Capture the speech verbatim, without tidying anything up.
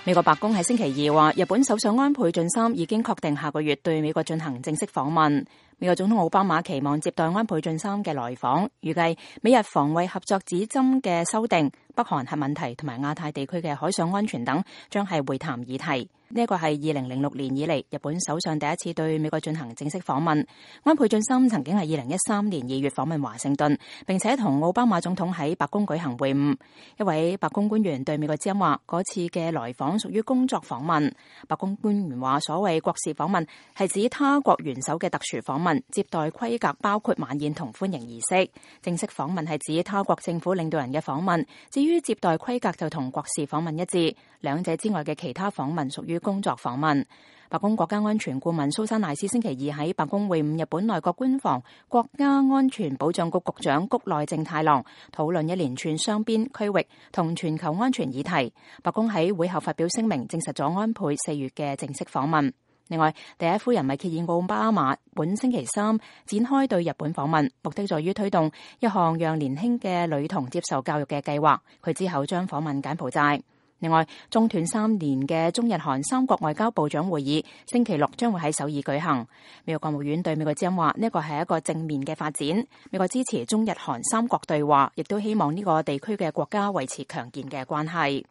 美國白宮喺星期二話，日本首相安倍晉三已經確定下個月對美國進行正式訪問。美國總統奧巴馬期望接待安倍晉三嘅來訪，預計美日防衛合作指針嘅修訂、北韓核問題同埋亞太地區嘅海上安全等，將係會談議題。呢一個係二零零六年以嚟日本首相第一次對美國進行正式訪問。安倍晉三曾經係二零一三年二月訪問華盛頓，並且同奧巴馬總統喺白宮舉行會晤。一位白宮官員對美國之音話，嗰次嘅來訪屬於工作訪問。白宮官員話，所謂國事訪問係指他國元首嘅特殊訪問，接待規格包括晚宴同歡迎儀式。正式訪問係指他國政府領導人嘅訪問，至於接待規格就同國事訪問一致。兩者之外嘅其他訪問屬於工作訪問。白宮國家安全顧問蘇珊賴斯星期二喺白宮會晤日本內閣官房國家安全保障局局長谷內正太郎，討論一連串雙邊、區域同全球安全議題。白宮喺會後發表聲明，證實咗安倍四月嘅正式訪問。另外，第一夫人米歇爾奧巴馬本星期三展開對日本訪問，目的在於推動一項讓年輕嘅女童接受教育嘅計劃。佢之後將訪問柬埔寨。另外，中斷三年嘅中日韓三國外交部長會議星期六將會喺首爾舉行。美國國務院對美國之音話，呢個係一個正面嘅發展。美國支持中日韓三國對話，亦都希望呢個地區嘅國家維持強健嘅關係。